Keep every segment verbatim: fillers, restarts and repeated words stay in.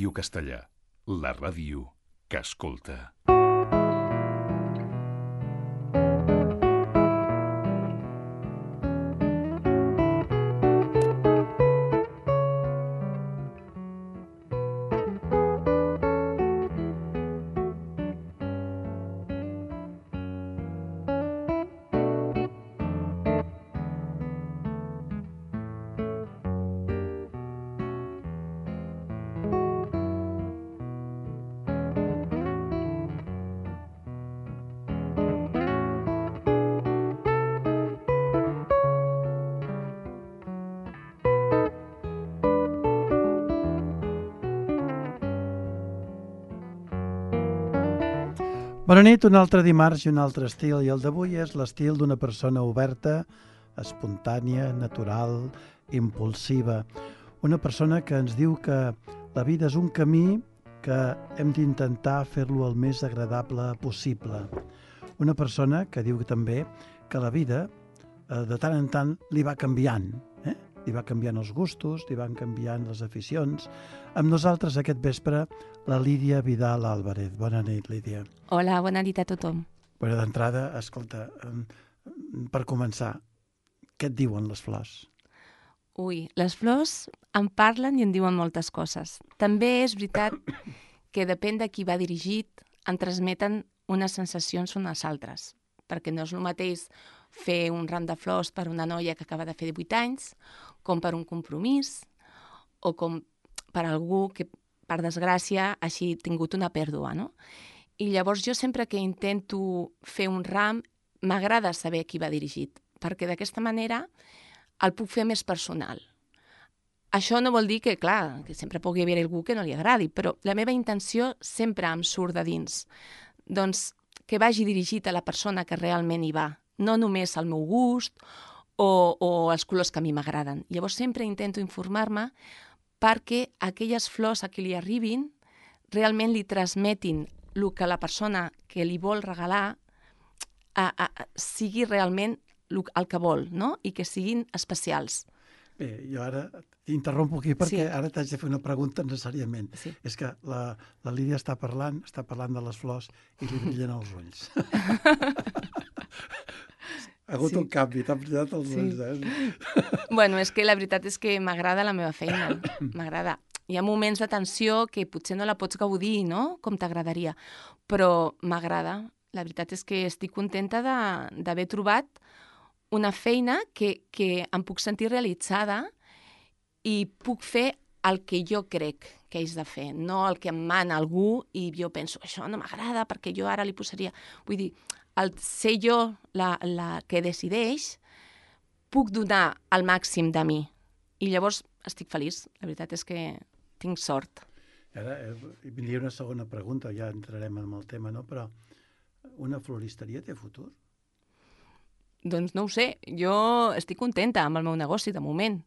Ràdio Castellà, la ràdio que escolta. Bona nit, un altre dimarts i un altre estil, i el d'avui és l'estil d'una persona oberta, espontània, natural, impulsiva. Una persona que ens diu que la vida és un camí que hem d'intentar fer-lo el més agradable possible. Una persona que diu també que la vida, de tant en tant, li va canviant, eh? Li va canviant els gustos, li van canviant les aficions. Amb nosaltres aquest vespre, la Lídia Vidal Álvarez. Bona nit, Lídia. Hola, bona nit a tothom. Bueno, d'entrada, escolta, per començar, què et diuen les flors? Ui, les flors em parlen i em diuen moltes coses. També és veritat que depèn de qui va dirigit, en transmeten unes sensacions unes altres, perquè no és el mateix fer un ram de flors per una noia que acaba de fer divuit anys, com per un compromís, o com per algú que, per desgràcia, hagi tingut una pèrdua, no? I llavors jo sempre que intento fer un ram, m'agrada saber qui va dirigit, perquè d'aquesta manera el puc fer més personal. Això no vol dir que, clar, que sempre pugui haver algú que no li agradi, però la meva intenció sempre em surt de dins. Doncs que vagi dirigit a la persona que realment hi va, no només al meu gust o, o els colors que a mi m'agraden. Llavors sempre intento informar-me perquè aquelles flors a qui li arribin realment li transmetin el que la persona que li vol regalar a, a, a, sigui realment el que vol, no? I que siguin especials. Bé, jo ara t'interrompo aquí perquè Sí. ara t'haig de fer una pregunta necessàriament. Sí. És que la, la Lídia està parlant, està parlant de les flors i li brillen els ulls. Ha hagut Sí. un canvi, t'han brillat els Sí. ulls, eh? Bueno, és que la veritat és que m'agrada la meva feina, m'agrada. Hi ha moments de tensió que potser no la pots gaudir, no?, com t'agradaria, però m'agrada. La veritat és que estic contenta de- d'haver trobat una feina que, que em puc sentir realitzada i puc fer el que jo crec que és de fer, no el que em mana algú i jo penso, això no m'agrada perquè jo ara li posaria... Vull dir, el ser jo la, la que decideix, puc donar el màxim de mi. I llavors estic feliç. La veritat és que tinc sort. Ara, eh, vindria una segona pregunta, ja entrarem en el tema, no? Però una floristeria té futur? Doncs no ho sé. Jo estic contenta amb el meu negoci, de moment.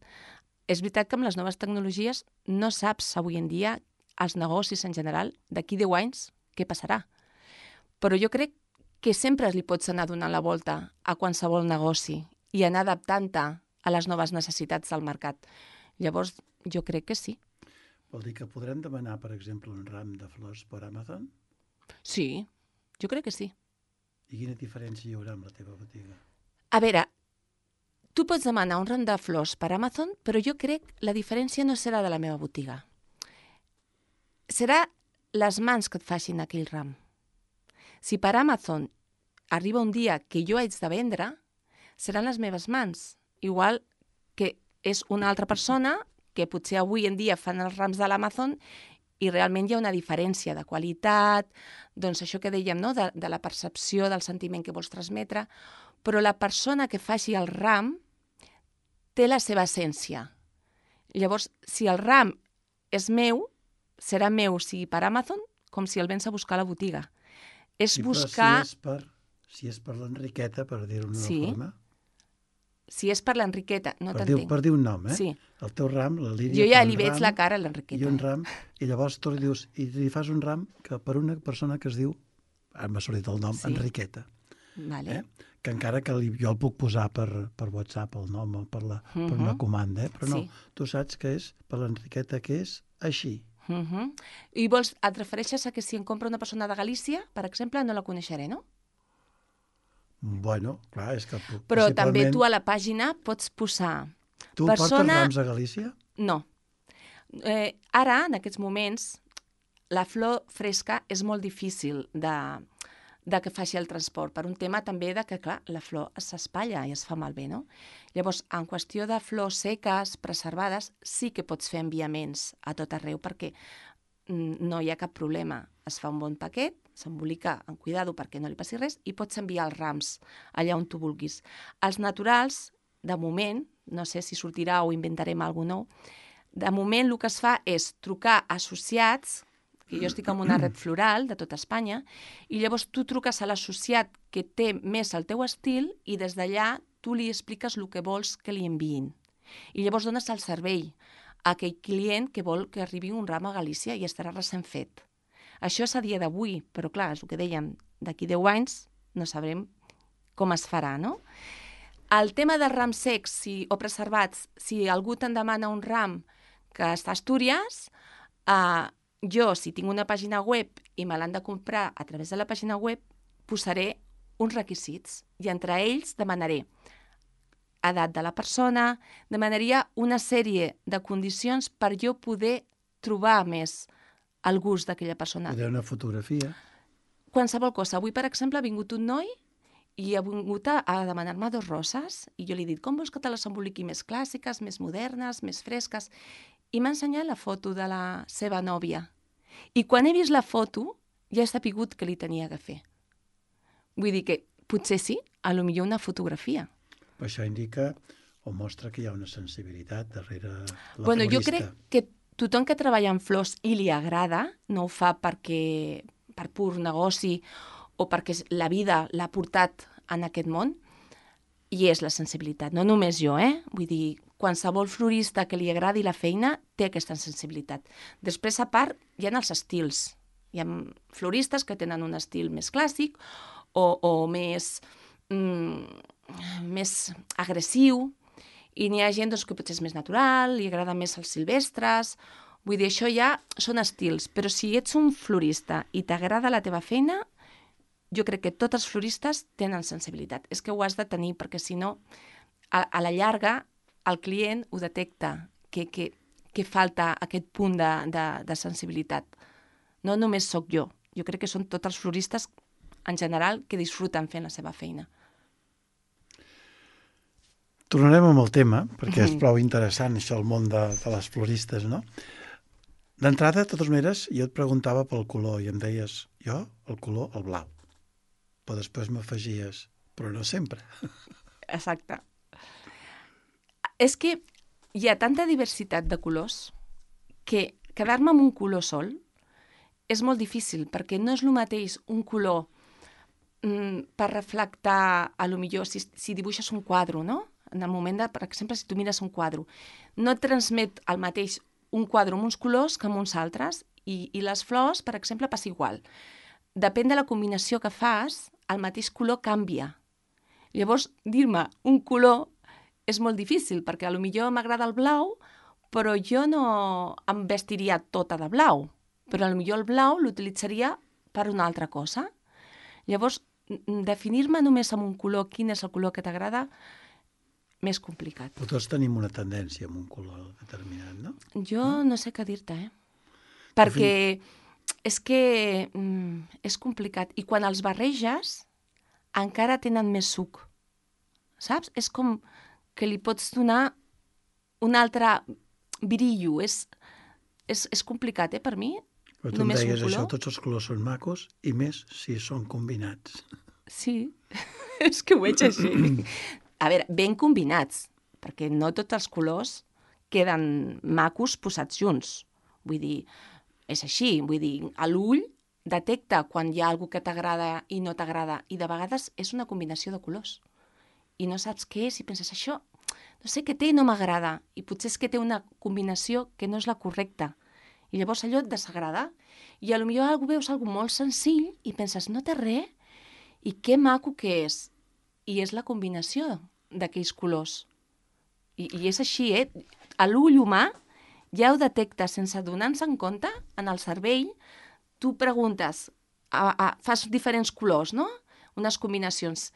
És veritat que amb les noves tecnologies no saps avui en dia els negocis en general, d'aquí deu anys, què passarà. Però jo crec que sempre li pots anar donant la volta a qualsevol negoci i anar adaptant-te a les noves necessitats del mercat. Llavors, jo crec que sí. Vol dir que podrem demanar, per exemple, un ram de flors per Amazon? Sí, jo crec que sí. I quina diferència hi haurà amb la teva botiga? A veure, tu pots demanar un ram de flors per Amazon, però jo crec que la diferència no serà de la meva botiga. Serà les mans que et facin aquell ram. Si per Amazon arriba un dia que jo haig de vendre, seran les meves mans. Igual que és una altra persona que potser avui en dia fan els rams de l'Amazon i realment hi ha una diferència de qualitat, doncs això que dèiem, no? de, de la percepció del sentiment que vols transmetre, però la persona que faci el ram té la seva essència. Llavors, si el ram és meu, serà meu, sigui per Amazon, com si el vens a buscar a la botiga. És Sí, buscar... però si és per, si és per l'Enriqueta, per dir-ho d'una Sí. forma... Si és per l'Enriqueta, no per, dir, t'entenc. per dir un nom, eh? Sí. El teu ram, la Lídia... Jo ja fa un li veig ram, la cara a I l'Enriqueta. un ram, i llavors tu li dius, i li fas un ram que per una persona que es diu, ara m'ha sortit el nom, Sí. Enriqueta. Vale. Eh? Que encara que li, jo el puc posar per, per WhatsApp, el nom, o per, la, per una Mhm. comanda, eh? Però no, Sí. tu saps que és per l'Enriqueta, que és així. Uh -huh. I vols, et refereixes a que si em compra una persona de Galícia, per exemple, no la coneixeré, no? Bueno, clar, és que Però també principalment... tu a la pàgina pots posar... Tu persona... portes rams a Galícia? No. Eh, ara, en aquests moments, la flor fresca és molt difícil de, de que faci el transport, per un tema també de que, clar, la flor s'espatlla i es fa malbé, no? Llavors, en qüestió de flors seques, preservades, sí que pots fer enviaments a tot arreu, perquè no hi ha cap problema. Es fa un bon paquet, s'embolica amb cuidado perquè no li passi res, i pots enviar els rams allà on tu vulguis. Els naturals, de moment, no sé si sortirà o inventarem alguna nou, de moment el que es fa és trucar associats, que jo estic en una red floral de tota Espanya, i llavors tu truques a l'associat que té més el teu estil i des d'allà tu li expliques el que vols que li enviïn. I llavors dones el servei a aquell client que vol que arribi un ram a Galícia i estarà recent fet. Això és a dia d'avui, però clar, és el que dèiem, d'aquí deu anys no sabrem com es farà, no? El tema de rams secs si, o preservats, si algú te'n demana un ram que està a Astúries, eh, jo, si tinc una pàgina web i me l'han de comprar a través de la pàgina web, posaré uns requisits i entre ells demanaré edat de la persona, demanaria una sèrie de condicions per jo poder trobar més el gust d'aquella persona. Poder una fotografia. Qualsevol cosa. Avui, per exemple, ha vingut un noi i ha vingut a, a demanar-me dos roses i jo li he dit, com vols que te les emboliqui més clàssiques, més modernes, més fresques? I m'ha ensenyat la foto de la seva nòvia. I quan he vist la foto, ja he sapigut que li tenia que fer. Vull dir que potser sí, a lo millor una fotografia. Això indica o mostra que hi ha una sensibilitat darrere la bueno, florista. Jo crec que tothom que treballa en flors i li agrada, no ho fa perquè per pur negoci o perquè la vida l'ha portat en aquest món, i és la sensibilitat. No només jo, eh? Vull dir, qualsevol florista que li agradi la feina té aquesta sensibilitat. Després, a part, hi ha els estils. Hi ha floristes que tenen un estil més clàssic o, o més... Mm, més agressiu, i n'hi ha gent doncs, que potser és més natural, li agrada més els silvestres, vull dir, això ja són estils, però si ets un florista i t'agrada la teva feina, jo crec que tots els floristes tenen sensibilitat. És que ho has de tenir, perquè si no, a, a la llarga, el client ho detecta, que, que, que falta aquest punt de, de, de sensibilitat. No només sóc jo, jo crec que són tots els floristes, en general, que disfruten fent la seva feina. Tornarem amb el tema, perquè és prou interessant això, el món de, de les floristes, no? D'entrada, de totes maneres, jo et preguntava pel color i em deies, jo, el color, el blau. Però després m'afegies, però no sempre. Exacte. És que hi ha tanta diversitat de colors que quedar-me amb un color sol és molt difícil, perquè no és el mateix un color mm, per reflectar, a lo millor, si, si dibuixes un quadre, no? En el moment de, per exemple, si tu mires un quadre, no et transmet el mateix un quadre amb uns colors que amb uns altres, i, i les flors, per exemple, passa igual. Depèn de la combinació que fas, el mateix color canvia. Llavors, dir-me un color és molt difícil, perquè a lo millor m'agrada el blau, però jo no em vestiria tota de blau, però a lo millor el blau l'utilitzaria per una altra cosa. Llavors, definir-me només amb un color, quin és el color que t'agrada, més complicat. Però tots tenim una tendència amb un color determinat, no? Jo no, no sé què dir-te, eh? Perquè és que mm, és complicat. I quan els barreges, encara tenen més suc. Saps? És com que li pots donar un altre brillo. És, és, és complicat, eh, per mi? Però tu em Només deies un això, color. tots els colors són macos, i més si són combinats. Sí, és que ho veig així. A veure, ben combinats, perquè no tots els colors queden macos posats junts. Vull dir, és així, vull dir, a l'ull detecta quan hi ha algú que t'agrada i no t'agrada, i de vegades és una combinació de colors. I no saps què és, i penses, això, no sé què té i no m'agrada, i potser és que té una combinació que no és la correcta. I llavors allò et desagrada, i potser algú veus algú molt senzill i penses, no té res, i que maco que és. I és la combinació d'aquells colors. I, i és així, eh? A l'ull humà ja ho detectes sense donar-nos en compte, en el cervell, tu preguntes, a, a, fas diferents colors, no? Unes combinacions.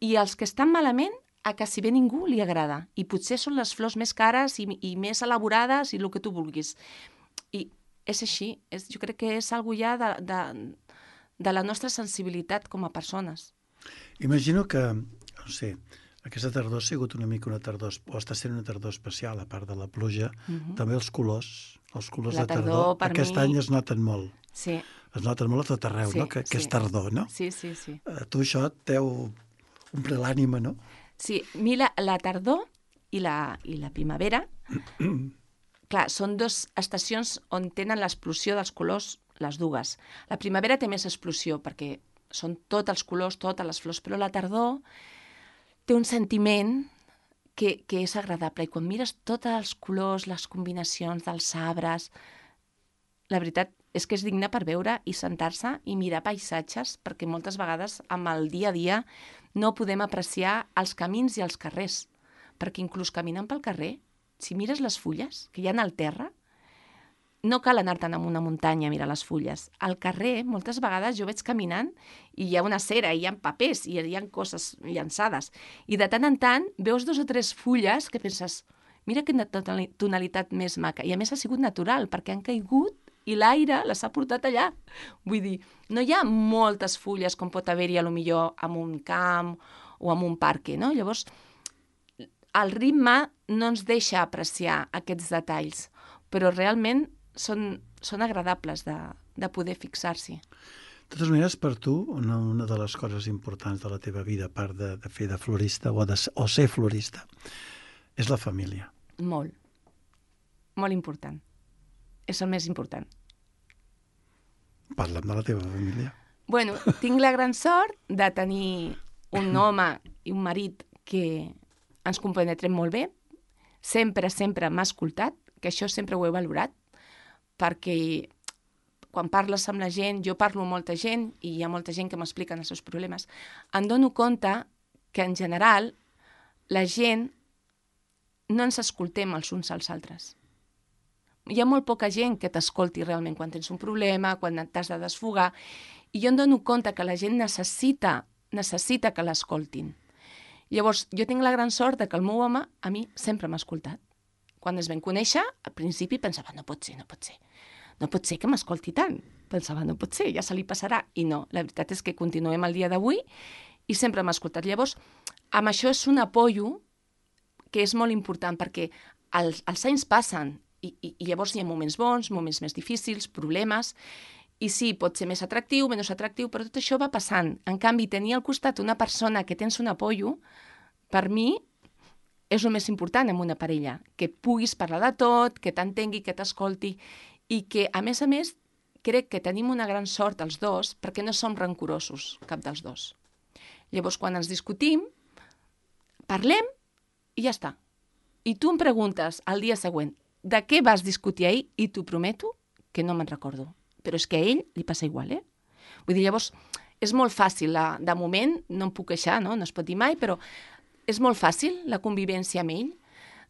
I els que estan malament, a quasi bé ningú li agrada. I potser són les flors més cares i, i més elaborades i el que tu vulguis. I és així. És, jo crec que és algo ja de, de, de la nostra sensibilitat com a persones. Imagino que, no sé, aquesta tardor ha sigut una mica una tardor, o està sent una tardor especial, a part de la pluja, Uh-huh. també els colors, els colors La de tardor, tardor, per aquest mi- any es noten molt. Sí, Es noten molt a tot arreu, Sí, no? Que, que sí. és tardor, no? sí, sí, sí. A tu això et deu omplir l'ànima, no? Sí, a mi la, la tardor i la, i la primavera, clar, són dues estacions on tenen l'explosió dels colors, les dues. La primavera té més explosió perquè són tots els colors, totes les flors, però la tardor té un sentiment que, que és agradable. I quan mires tots els colors, les combinacions dels arbres, la veritat és que és digne per veure i sentar-se i mirar paisatges, perquè moltes vegades amb el dia a dia no podem apreciar els camins i els carrers, perquè inclús caminant pel carrer, si mires les fulles que hi ha al terra, no cal anar-te'n a una muntanya a mirar les fulles. Al carrer, moltes vegades jo veig caminant i hi ha una cera, i hi ha papers, i hi ha coses llançades. I de tant en tant veus dos o tres fulles que penses, mira quina tonali- tonalitat més maca. I a més ha sigut natural, perquè han caigut i l'aire les ha portat allà. Vull dir, no hi ha moltes fulles com pot haver-hi a lo millor en un camp o en un parc, no? Llavors, el ritme no ens deixa apreciar aquests detalls, però realment són, són agradables de, de poder fixar-s'hi. De totes maneres, per tu, una, una de les coses importants de la teva vida, a part de, de fer de florista o, de, o ser florista, és la família. Molt. Molt important. És el més important. Parla'm de la teva família. Bueno, tinc la gran sort de tenir un home i un marit que ens compenetrem molt bé. Sempre, sempre m'ha escoltat, que això sempre ho he valorat, perquè quan parles amb la gent, jo parlo amb molta gent i hi ha molta gent que m'expliquen els seus problemes, em dono compte que en general la gent no ens escoltem els uns als altres. Hi ha molt poca gent que t'escolti realment quan tens un problema, quan t'has de desfogar, i jo em dono compte que la gent necessita, necessita que l'escoltin. Llavors, jo tinc la gran sort de que el meu home a mi sempre m'ha escoltat. Quan es vam conèixer, al principi pensava, no pot ser, no pot ser. No pot ser que m'escolti tant. Pensava, no pot ser, ja se li passarà. I no, la veritat és que continuem el dia d'avui i sempre m'ha escoltat. Llavors, amb això és un apoyo que és molt important, perquè els, els anys passen i, i, i llavors hi ha moments bons, moments més difícils, problemes, i sí, pot ser més atractiu, menys atractiu, però tot això va passant. En canvi, tenir al costat una persona que tens un apoyo, per mi, és el més important en una parella, que puguis parlar de tot, que t'entengui, que t'escolti, i que, a més a més, crec que tenim una gran sort els dos, perquè no som rancorosos, cap dels dos. Llavors, quan ens discutim, parlem i ja està. I tu em preguntes al dia següent de què vas discutir ahir i t'ho prometo que no me'n recordo. Però és que a ell li passa igual, eh? Vull dir, llavors, és molt fàcil, la, de moment, no em puc queixar, no? No es pot dir mai, però és molt fàcil la convivència amb ell.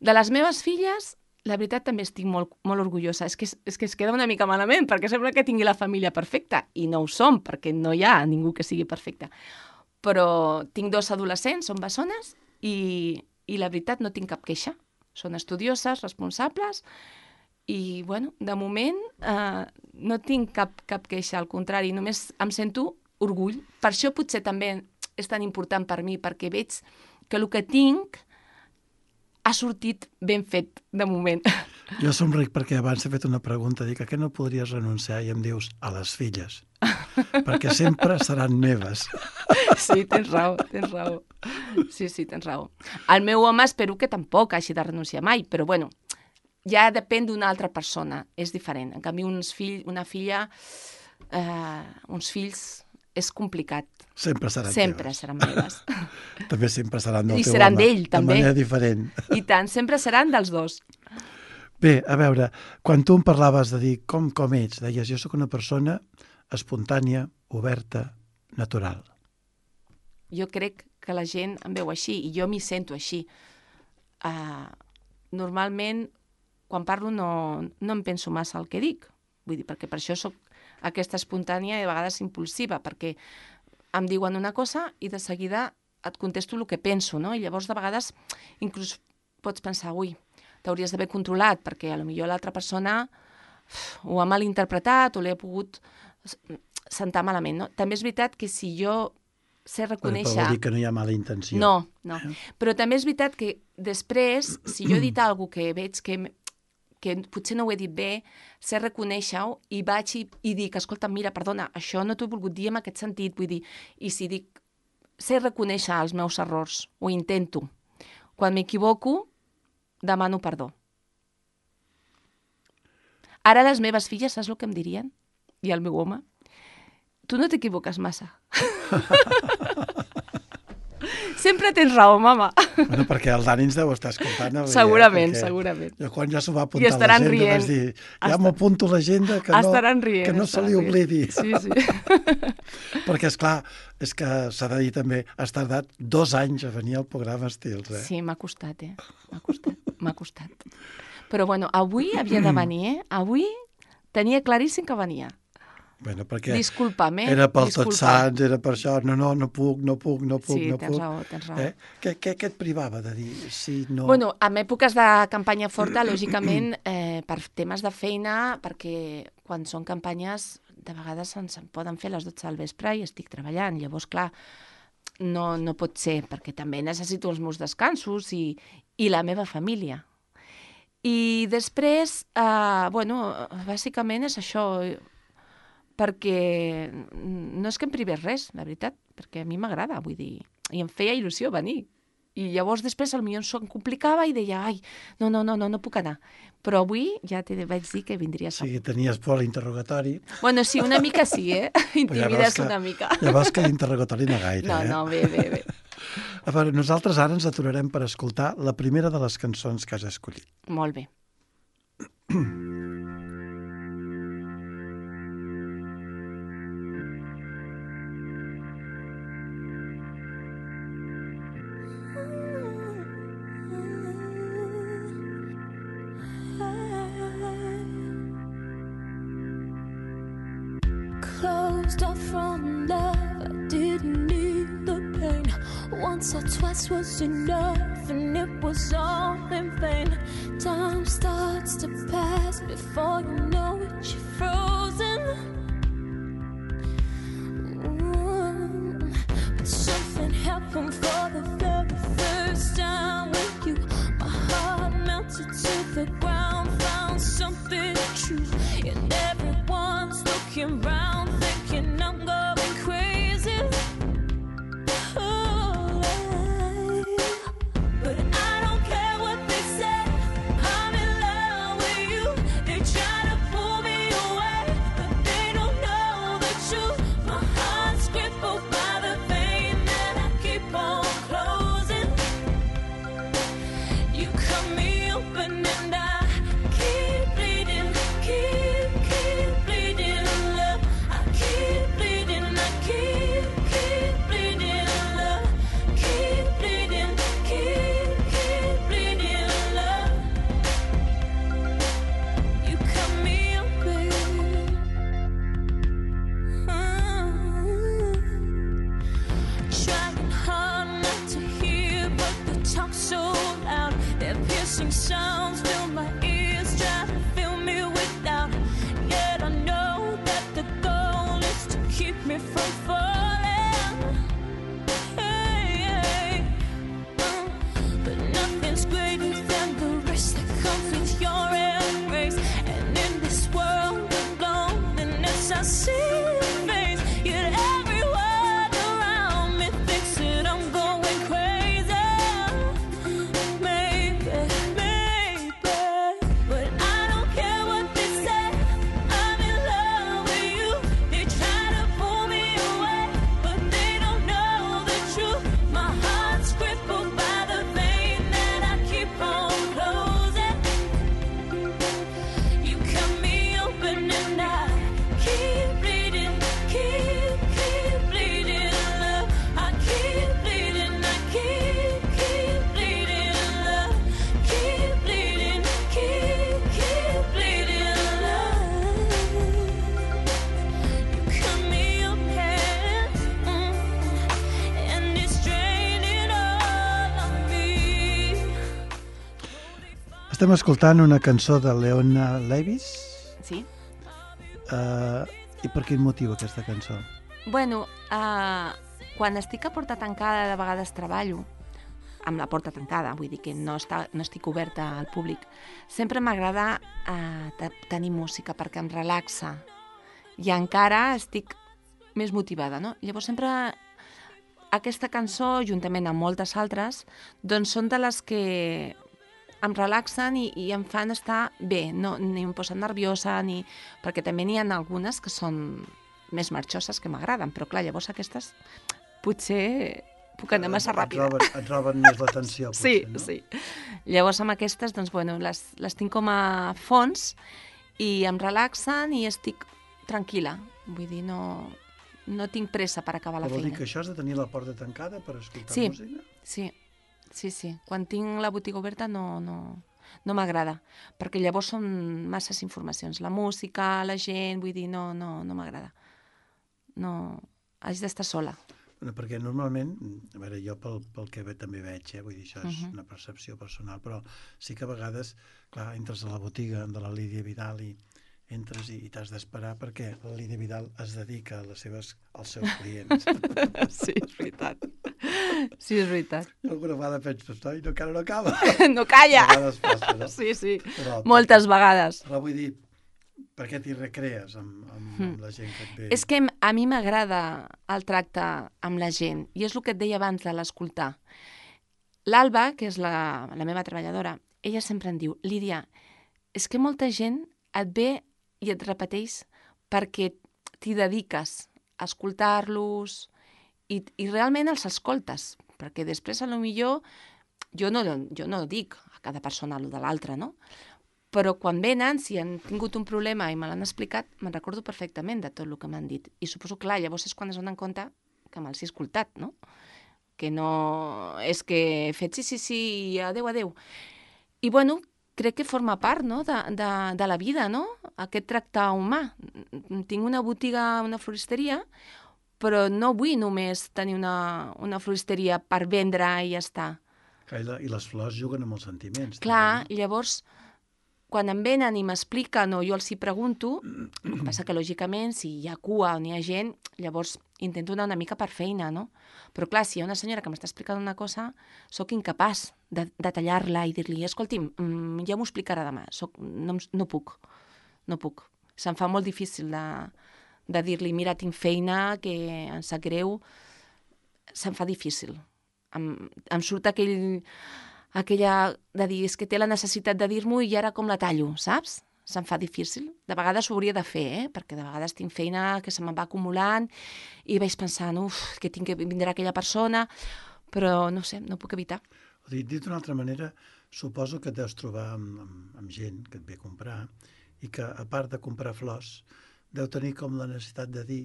De les meves filles, la veritat també estic molt, molt orgullosa. És que, és que es queda una mica malament, perquè sembla que tingui la família perfecta, i no ho som, perquè no hi ha ningú que sigui perfecte. Però tinc dos adolescents, són bessones, i, i la veritat no tinc cap queixa. Són estudioses, responsables, i, bueno, de moment eh, no tinc cap, cap queixa, al contrari, només em sento orgull. Per això potser també és tan important per mi, perquè veig que el que tinc ha sortit ben fet, de moment. Jo somric perquè abans he fet una pregunta, dic, a què no podries renunciar? I em dius, a les filles, perquè sempre seran meves. Sí, tens raó, tens raó. Sí, sí, tens raó. El meu home espero que tampoc hagi de renunciar mai, però bueno, ja depèn d'una altra persona, és diferent. En canvi, uns fill, una filla, eh, uns fills, és complicat. Sempre seran Sempre teves. seran meves. També sempre seran del I teu seran home, d'ell, també. de manera diferent. I tant, sempre seran dels dos. Bé, a veure, quan tu em parlaves de dir com, com ets, deies, jo sóc una persona espontània, oberta, natural. Jo crec que la gent em veu així i jo m'hi sento així. Uh, normalment quan parlo no, no em penso massa el que dic. Vull dir, perquè per això sóc aquesta espontània i a vegades impulsiva, perquè em diuen una cosa i de seguida et contesto el que penso, no? I llavors de vegades inclús pots pensar, ui, t'hauries d'haver controlat, perquè a lo millor l'altra persona ho ha malinterpretat o l'he pogut sentar malament, no? També és veritat que si jo sé reconèixer... Però vol dir que no hi ha mala intenció. No, no. Eh? Però també és veritat que després, si jo he dit alguna cosa que veig que, que potser no ho he dit bé, sé reconèixer-ho i vaig i, i dic, escolta, mira, perdona, això no t'ho he volgut dir en aquest sentit, vull dir, i si dic, sé reconèixer els meus errors, ho intento. Quan m'equivoco, demano perdó. Ara les meves filles, saps el que em dirien? I el meu home? Tu no t'equivoques massa. Sempre tens raó, mama. Bueno, perquè el Dani ens deu estar escoltant. Avui, segurament, eh? segurament. Jo quan ja s'ho va apuntar a l'agenda rient. vaig dir, ja Est... m'apunto a l'agenda que, no, rient, que no se li oblidi. Sí, sí. Perquè, esclar, és que s'ha de dir també, has tardat dos anys a venir al programa Estils, eh? Sí, m'ha costat, eh? M'ha costat, m'ha costat. Però, bueno, avui havia de venir, eh? Avui tenia claríssim que venia. Bueno, perquè Disculpa'm, eh? Era pel Disculpa'm. Tots Sants, era per això, no, no, no puc, no puc, no puc, sí, no tens puc. Raó, tens raó. Eh? Què, què, què et privava de dir si no... Bueno, en èpoques de campanya forta, lògicament, eh, per temes de feina, perquè quan són campanyes, de vegades ens en poden fer a les dotze del vespre i estic treballant. Llavors, clar, no, no pot ser, perquè també necessito els meus descansos i, i la meva família. I després, eh, bueno, bàsicament és això... perquè no és que em privés res, la veritat, perquè a mi m'agrada, vull dir, i em feia il·lusió venir. I llavors després el millor em complicava i deia, ai, no, no, no, no, no puc anar. Però avui ja te vaig dir que vindria a Sí, tenies por a l'interrogatori. Bueno, sí, una mica sí, eh? Intimides ja una mica. Ja veus que l'interrogatori no gaire, no, eh? No, no, bé, bé, bé. A veure, nosaltres ara ens aturarem per escoltar la primera de les cançons que has escollit. Molt bé. Closed off from love, I didn't need the pain. Once or twice was enough, and it was all in vain. Time starts to pass before you know it, you're frozen. Ooh. But something happened for the very first time with you. My heart melted to the ground, found something true, and everyone's looking round, thinking I'm going crazy. Oh, but I don't care what they say. I'm in love with you. They try to pull me away, but they don't know the truth. My heart's crippled by the pain that I keep on closing. You cut me open and I keep bleeding, keep, keep bleeding, love. I keep bleeding, I keep, keep bleeding, love. Keep bleeding, keep, keep bleeding, love. You cut me open. Trying hard not to hear, but the talk's so loud. Their piercing sounds fill my ears, try to fill me with doubt. Yet I know that the goal is to keep me from falling. Hey, hey. Uh, but nothing's greater than the risk that comes with your embrace. And in this world of loneliness, I see your face. Yet everyone around me thinks that I'm going crazy. Maybe, maybe, but I don't care what they say. I'm in love with you. They try to pull me away, but they don't know the truth. My heart's crippled by the pain that I keep on closing. You cut me open and I keep bleeding. Estem escoltant una cançó de Leona Lewis. Sí? Uh, I per quin motiu aquesta cançó? Bueno, uh, quan estic a porta tancada, de vegades treballo amb la porta tancada, vull dir que no, està, no estic oberta al públic. Sempre m'agrada uh, tenir música perquè em relaxa i encara estic més motivada, no? Llavors sempre aquesta cançó, juntament amb moltes altres, doncs són de les que em relaxen i, i em fan estar bé, no, ni em posen nerviosa, ni... perquè també n'hi ha algunes que són més marxoses que m'agraden, però clar, llavors aquestes potser puc anar massa ràpida. Et roben, et roben més l'atenció, potser, sí, no? Sí, llavors amb aquestes, doncs, bueno, les, les tinc com a fons i em relaxen i estic tranquil·la. Vull dir, no, no tinc pressa per acabar la Però vol feina. dir que això has de tenir la porta tancada per escoltar Sí, música? sí, sí, sí. Quan tinc la botiga oberta no, no, no m'agrada, perquè llavors són masses informacions. La música, la gent, vull dir, no, no, no m'agrada. No, haig d'estar sola. Bueno, perquè normalment, a veure, jo pel, pel que ve, també veig, eh? Vull dir, això és Mhm. una percepció personal, però sí que a vegades, clar, entres a la botiga de la Lídia Vidal i entres i, i t'has d'esperar perquè la Lídia Vidal es dedica a les seves, als seus clients. Sí, és veritat. Sí, és veritat. I alguna vegada penso, noi, no, encara no acaba. No calla! A vegades passa, no? Sí, sí. Però, Moltes vegades. Però vull dir, per què t'hi recrees amb, amb, amb la gent que et ve? És que a mi m'agrada el tracte amb la gent, i és el que et deia abans de l'escoltar. L'Alba, que és la, la meva treballadora, ella sempre em diu, Lídia, és que molta gent et ve i et repeteix perquè t'hi dediques a escoltar-los i, i realment els escoltes, perquè després, a lo millor, jo no, jo no dic a cada persona el de l'altra, no? Però quan venen, si han tingut un problema i me l'han explicat, me'n recordo perfectament de tot el que m'han dit. I suposo, clar, llavors és quan es donen compte que me'ls he escoltat, no? Que no és que he fet sí, sí, sí, i adeu, adeu. I, bueno, crec que forma part, no?, de, de, de la vida, no?, aquest tracte humà. Tinc una botiga, una floristeria, però no vull només tenir una, una floristeria per vendre i ja està. I, la, I les flors juguen amb els sentiments. Clar, també, no? llavors, quan em venen i m'expliquen o jo els hi pregunto, el que passa que, lògicament, si hi ha cua o n'hi ha gent, llavors intento anar una mica per feina, no? Però, clar, si hi ha una senyora que m'està explicant una cosa, sóc incapaç de, de tallar-la i dir-li, escolti'm, mm, ja m'ho explicarà demà. Soc, no, no puc, no puc. Se'm fa molt difícil de, de dir-li, mira, tinc feina, que em sap greu. Se'm fa difícil. Em, em surt aquell... aquella de dir, és que té la necessitat de dir-m'ho i ara com la tallo, saps? Se'm fa difícil. De vegades ho hauria de fer, eh? Perquè de vegades tinc feina que se me'n va acumulant i vaig pensant, uf, que tinc que vindrà aquella persona, però no sé, no puc evitar. O dir, dit d'una altra manera, suposo que et deus trobar amb, amb, amb gent que et ve a comprar i que, a part de comprar flors, deu tenir com la necessitat de dir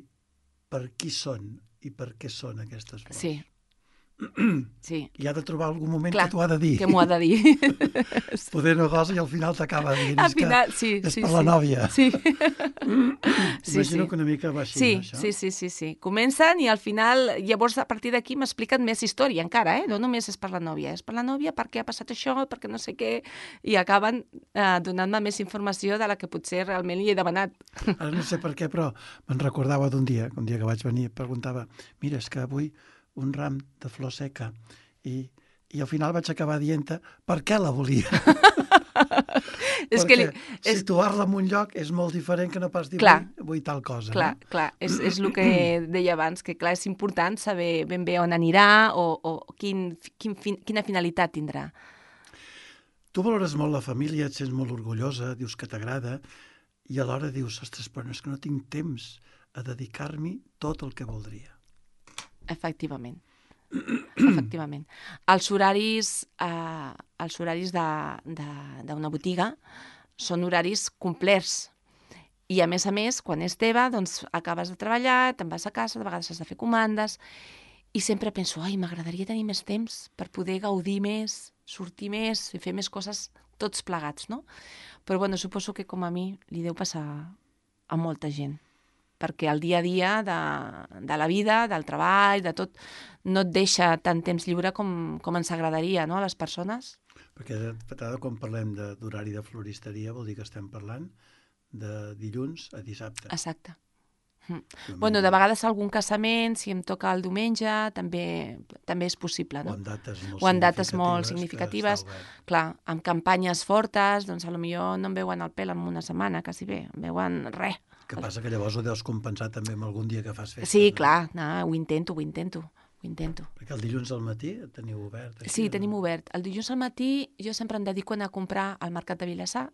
per qui són i per què són aquestes flors. Sí. Sí. I ha de trobar algun moment Clar, que t'ho ha de dir. que m'ho ha de dir. Poder no gosa i al final t'acaba dient Al és final, que sí, és sí, per sí. la nòvia. Sí. Sí, Imagino sí. que una mica va així, Sí, no, això? sí, sí, sí, sí. Comencen i al final, llavors a partir d'aquí m'expliquen més història encara, eh? No només és per la nòvia, és per la nòvia, per què ha passat això, perquè no sé què, i acaben eh, donant-me més informació de la que potser realment li he demanat. Ara no sé per què, però me'n recordava d'un dia, un dia que vaig venir, preguntava, mira, és que avui un ram de flor seca, i, i al final vaig acabar dient-te per què la volia. És Perquè que li, és, situar-la en un lloc és molt diferent que no pas dir Clar. vull, vull tal cosa. clar, No? clar, és, és el que deia abans, que clar, és important saber ben bé on anirà o, o quin, quin, fin- quina finalitat tindrà. Tu valores molt la família, et sents molt orgullosa, dius que t'agrada, i alhora dius, ostres, però no és que no tinc temps a dedicar-m'hi tot el que voldria. Efectivament. Efectivament. Els horaris, eh, els horaris de- de- d'una botiga són horaris complets. I, a més a més, quan és teva, doncs acabes de treballar, te'n vas a casa, de vegades has de fer comandes, i sempre penso, ai, m'agradaria tenir més temps per poder gaudir més, sortir més i fer més coses tots plegats, no? Però, bueno, suposo que com a mi li deu passar a molta gent, perquè el dia a dia de, de la vida, del treball, de tot, no et deixa tant temps lliure com, com ens agradaria, no?, a les persones. Perquè de vegades quan parlem de- d'horari de floristeria vol dir que estem parlant de dilluns a dissabte. Exacte. Mm. Diumenge. Bueno, de vegades algun casament, si em toca el diumenge, també també és possible, O no? en dates molt O en dates molt significatives. significatives. que està obert. Clar, amb campanyes fortes, doncs potser no em veuen el pèl en una setmana, quasi bé, em veuen res. Que passa que llavors ho deus compensar també amb algun dia que fas festes. Sí, no? clar, no, ho intento, ho intento, ho intento. Perquè el dilluns al matí teniu obert. Així, Sí, o tenim no? obert. El dilluns al matí jo sempre em dedico a anar a comprar al Mercat de Vilassar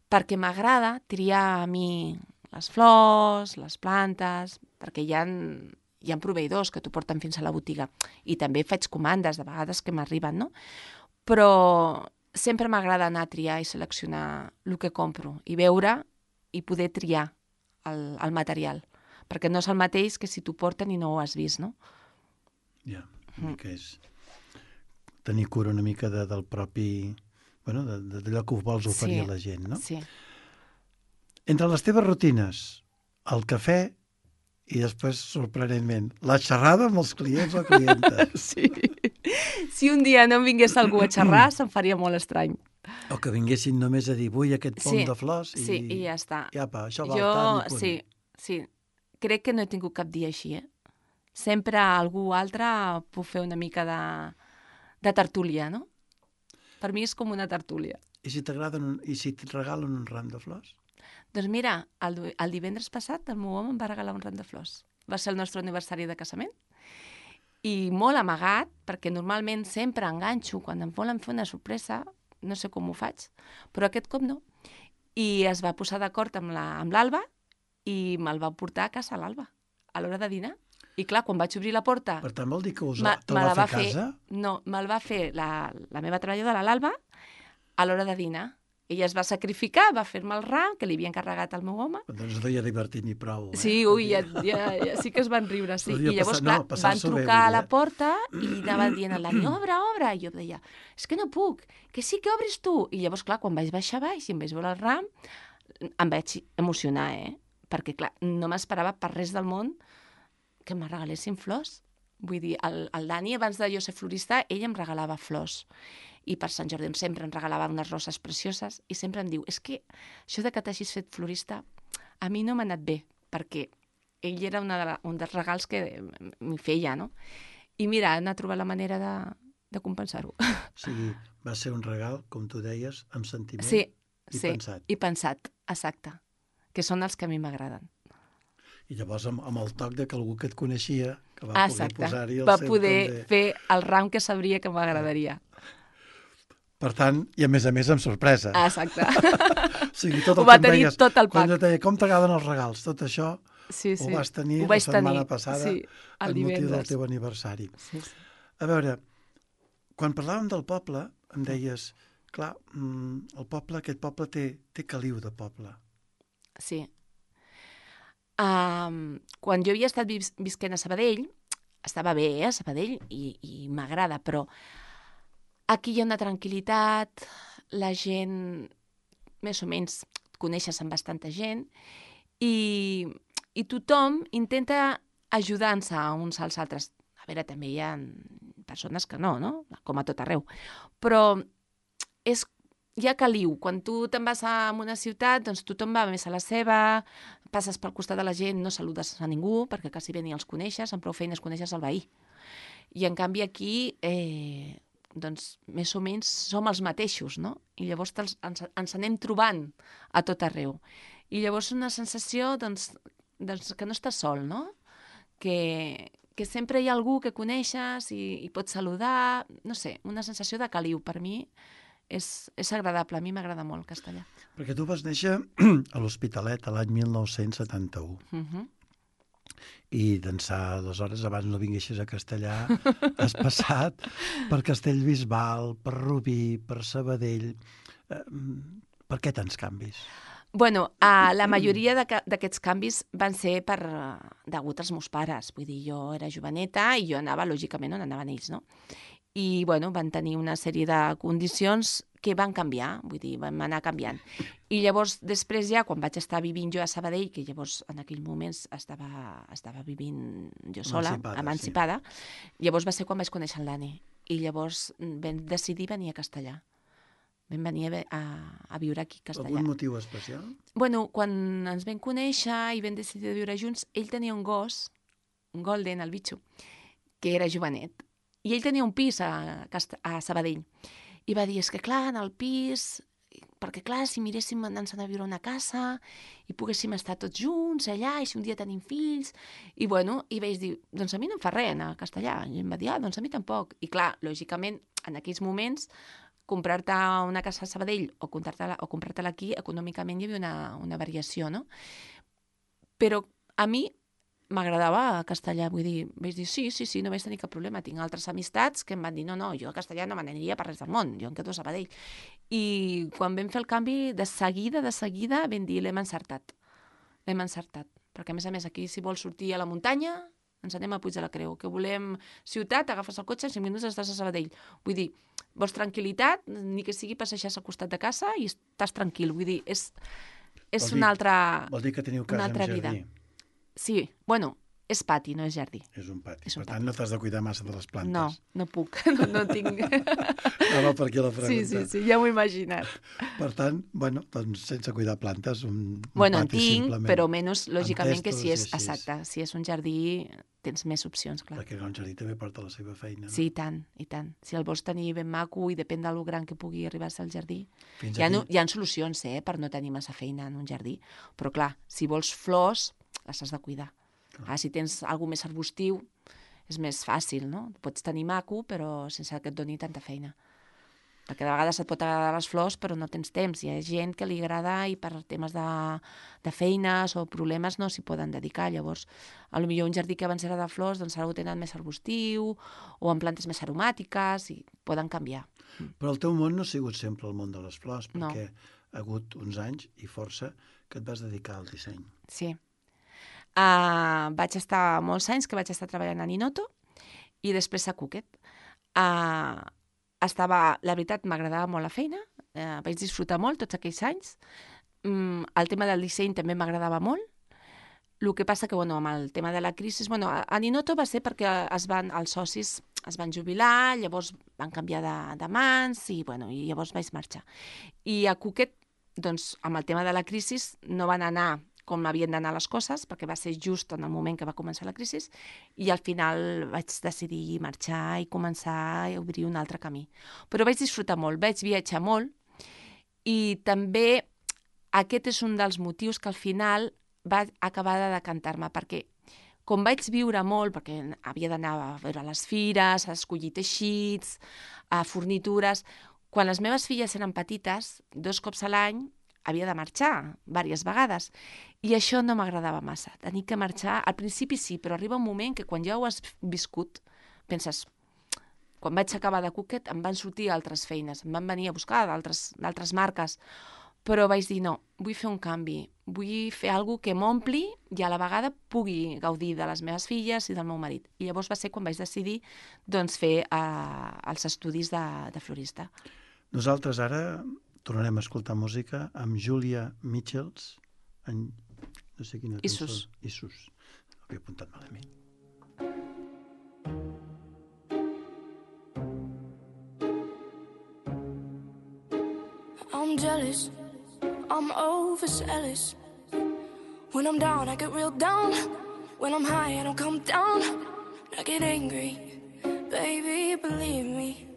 perquè m'agrada triar a mi les flors, les plantes, perquè hi ha, hi ha proveïdors que t'ho porten fins a la botiga. I també faig comandes, de vegades que m'arriben, no? Però sempre m'agrada anar a triar i seleccionar el que compro i veure i poder triar el, el material. Perquè no és el mateix que si t'ho porten i no ho has vist, no? Ja, una mica és tenir cura una mica de, del propi... Bueno, de- de- d'allò que vols oferir Sí, a la gent, no? Sí. Entre les teves rutines, el cafè i després, sorprenentment, la xerrada amb els clients o clientes. Sí. Si un dia no em vingués algú a xerrar, se'm faria molt estrany. O que vinguessin només a dir, vull aquest pom Sí, de flors i... Sí, i ja està. I apa, això val Jo, tant i punt. sí, sí. Crec que no he tingut cap dia així, eh? Sempre algú altre puc fer una mica de, de tertúlia, no? Per mi és com una tertúlia. I si t'agraden, un- i si et regalen un ram de flors? Doncs mira, el, du- el divendres passat el meu home em va regalar un ram de flors. Va ser el nostre aniversari de casament. I molt amagat, perquè normalment sempre enganxo quan em volen fer una sorpresa, no sé com ho faig, però aquest cop no. I es va posar d'acord amb la- amb l'Alba i me'l va portar a casa l'Alba, a l'hora de dinar. I clar, quan vaig obrir la porta... Per tant, vol dir que us, me- te'l me va la fer a casa? No, me'l va fer la, la meva treballadora, l'Alba, a l'hora de dinar. Ella es va sacrificar, va fer-me el ram, que li havia encarregat al meu home. Doncs no hi ha divertit ni prou. Eh? Sí, ui, ja, ja, ja, sí que es van riure, sí. Podria I llavors, passar- clar, no, van passar-s'ho bé, trucar vull a dir, la eh? porta i anaven dient a l'Ani, obre, obre. I jo deia, és que no puc, que sí que obris tu. I llavors, clar, quan vaig baixar baix i em vaig veure el ram, em vaig emocionar, eh? Perquè, clar, no m'esperava per res del món que me regalessin flors. Vull dir, el, el Dani, abans de jo ser florista, ell em regalava flors. I per Sant Jordi sempre em regalava unes roses precioses i sempre em diu, és que això de que t'hagis fet florista a mi no m'ha anat bé, perquè ell era una de la, un dels regals que m'hi feia, no? I mira, ha anat a trobar la manera de, de compensar-ho. O sigui, va ser un regal, com tu deies, amb sentiment Sí, i sí, pensat. i pensat, exacte, que són els que a mi m'agraden. I llavors amb, amb el toc de que algú que et coneixia, que va poder Exacte, posar-hi el va seu poder també. fer el ram que sabria que m'agradaria. Per tant, i a més a més amb sorpresa. Exacte. O sigui, tot Ho el va que em tenir deies, tot el quan pack. jo et deia, com t'agraden els regals? Tot això Sí, sí. ho vas tenir Ho vaig la setmana tenir, passada sí, el amb motiu del divendres. teu aniversari. Sí, sí. A veure, quan parlàvem del poble, em deies, clar, mm, el poble, aquest poble té, té caliu de poble. Sí. Um, quan jo havia estat vis visquent a Sabadell, estava bé, eh, a Sabadell, i, i m'agrada, però aquí hi ha una tranquil·litat, la gent, més o menys, et coneixes amb bastanta gent, i, i tothom intenta ajudar-se uns als altres. A veure, també hi ha persones que no, no? Com a tot arreu. Però és hi ha caliu. Quan tu te'n vas a una ciutat, doncs tothom va més a la seva, passes pel costat de la gent, no saludes a ningú, perquè quasi bé ni els coneixes, amb prou feines coneixes el veí. I en canvi aquí, eh, doncs, més o menys som els mateixos, no? I llavors ens, ens, ens anem trobant a tot arreu. I llavors una sensació, doncs, doncs que no estàs sol, no? Que, que sempre hi ha algú que coneixes i, i pots saludar, no sé, una sensació de caliu. Per mi és, és agradable, a mi m'agrada molt castellà. Perquè tu vas néixer a l'Hospitalet a l'any mil nou-cents setanta-u. Uh -huh. I d'ençà, aleshores, abans no vinguessis a Castellà, has passat per Castellbisbal, per Rubí, per Sabadell. Eh, per què tants canvis? Bueno, uh, la majoria d'aquests canvis van ser per uh, degut als meus pares. Vull dir, jo era joveneta i jo anava, lògicament, on anaven ells, no? I, bueno, van tenir una sèrie de condicions que van canviar, vull dir, van anar canviant. I llavors, després ja, quan vaig estar vivint jo a Sabadell, que llavors en aquells moments estava, estava vivint jo sola, Emancipada, emancipada, sí. Llavors va ser quan vaig conèixer el Dani. I llavors vam decidir venir a Castellà. vam venir a, a, a viure aquí a Castellà. Algun motiu especial? Bueno, quan ens vam conèixer i vam decidir de viure junts, ell tenia un gos, un golden, el bitxo, que era jovenet. I ell tenia un pis a, Cast a Sabadell. I va dir, és que clar, en el pis, perquè clar, si miréssim anar-se'n a viure a una casa i poguéssim estar tots junts allà, i si un dia tenim fills... I bueno, i vaig dir, doncs a mi no em fa res anar a Castellà. I em va dir, ah, doncs a mi tampoc. I clar, lògicament, en aquells moments, comprar-te una casa a Sabadell o comprar-te-la o comprar-te-la aquí, econòmicament hi havia una, una variació, no? Però a mi m'agradava a Castellà, vull dir, vaig dir, sí, sí, sí, no vaig tenir cap problema. Tinc altres amistats que em van dir, no, no, jo a Castellà no me n'aniria per res del món, jo em quedo a Sabadell. I quan vam fer el canvi, de seguida, de seguida, vam dir, l'hem encertat. L'hem encertat. Perquè, a més a més, aquí, si vols sortir a la muntanya, ens anem a Puig de la Creu. Que volem ciutat, agafes el cotxe, en cinc minuts estàs a Sabadell. Vull dir, vols tranquil·litat, ni que sigui passejar-se al costat de casa i estàs tranquil. Vull dir, és, és una altra vida. Vol dir que teniu casa amb jardí? Sí, bueno, és pati, no és jardí. És un pati. És un per tant, pati. no t'has de cuidar massa de les plantes. No, no puc, no, no tinc. No, no, per aquí la pregunta. Sí, sí, sí, ja m'ho he imaginat. Per tant, bueno, doncs sense cuidar plantes, un, un Bueno, en pati tinc, simplement. però menys, lògicament, que si és, testos i així. exacte, si és un jardí, tens més opcions, clar. Perquè un jardí també porta la seva feina. No? Sí, i tant, i tant. Si el vols tenir ben maco i depèn del gran que pugui arribar a ser el jardí. Fins Hi ha, aquí- no, hi ha solucions, eh, per no tenir massa feina en un jardí, però clar, si vols flors, les has de cuidar. Ah, si tens alguna més arbustiu, és més fàcil, no? Pots tenir maco, però sense que et doni tanta feina. Perquè de vegades et pot agradar les flors, però no tens temps. Hi ha gent que li agrada i per temes de, de feines o problemes no s'hi poden dedicar. Llavors, a lo millor un jardí que abans era de flors, doncs ara ho tenen més arbustiu o amb plantes més aromàtiques i poden canviar. Però el teu món no ha sigut sempre el món de les flors, No. perquè ha hagut uns anys i força que et vas dedicar al disseny. Sí. Uh, vaig estar molts anys que vaig estar treballant a Ninoto i després a Cooked. Uh, estava, la veritat, m'agradava molt la feina, uh, vaig disfrutar molt tots aquells anys. Um, el tema del disseny també m'agradava molt. El que passa que, bueno, amb el tema de la crisi... Bueno, a, a Ninoto va ser perquè es van, els socis es van jubilar, llavors van canviar de, de mans i, bueno, i llavors vaig marxar. I a Cooked, doncs, amb el tema de la crisi no van anar com havien d'anar les coses, perquè va ser just en el moment que va començar la crisi, i al final vaig decidir marxar i començar a obrir un altre camí. Però vaig disfrutar molt, vaig viatjar molt, i també aquest és un dels motius que al final va acabar de decantar-me, perquè com vaig viure molt, perquè havia d'anar a veure les fires, a escollir teixits, a fornitures, quan les meves filles eren petites, dos cops a l'any, havia de marxar diverses vegades i això no m'agradava massa, tenir que marxar. Al principi sí, però arriba un moment que quan ja ho has viscut penses, quan vaig acabar de Cooked em van sortir altres feines, em van venir a buscar d'altres marques, però vaig dir no, vull fer un canvi, vull fer alguna que m'ompli i a la vegada pugui gaudir de les meves filles i del meu marit. I llavors va ser quan vaig decidir doncs, fer uh, els estudis de, de florista. Nosaltres ara tornarem a escoltar música amb Julia Michels, en no sé quina cançó. Issus. Issus. Ho havia apuntat malament. I'm jealous, I'm overzealous. When I'm down, I get real down. When I'm high, I don't come down. I get angry, baby, believe me.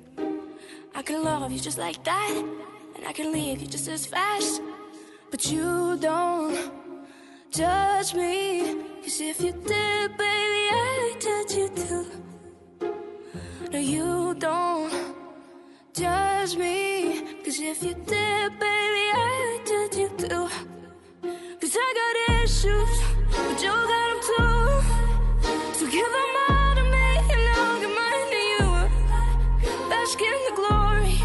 I can love you just like that, and I can leave you just as fast. But you don't judge me, 'cause if you did, baby, I'd judge you too. No, you don't judge me, 'cause if you did, baby, I'd judge you too. 'Cause I got issues, but you got them too. So give them all to me, and I'll give mine to you. Bask in the glory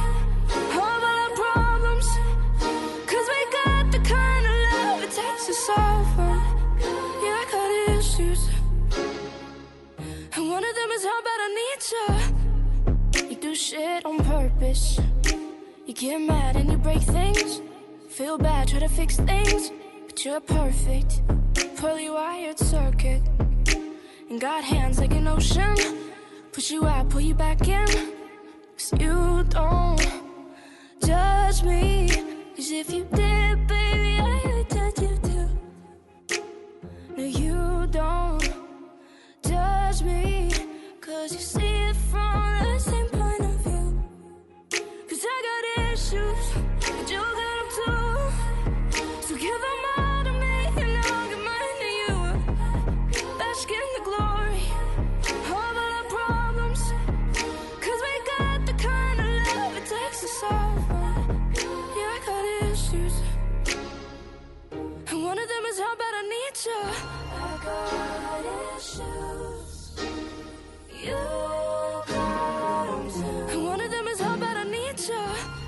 of all our problems, 'cause we got the kind of love it takes to solve them. Yeah, I got issues, and one of them is how bad I need you. You do shit on purpose. You get mad and you break things. Feel bad, try to fix things, but you're perfect, poorly wired circuit. And got hands like an ocean, push you out, pull you back in. 'Cause you don't judge judge me, 'cause if you did, baby, I would judge you too. No, you don't judge me, 'cause you see it from the same point of view. 'Cause I got issues, but you got them too. So give them all to me, and I'll give mine to you. Bask in the glory of all our problems, 'cause we got the kind of love it takes to solve them. Yeah, I got issues, and one of them is how bad I need you. I got issues, you got them too. And one of them is how bad I need you.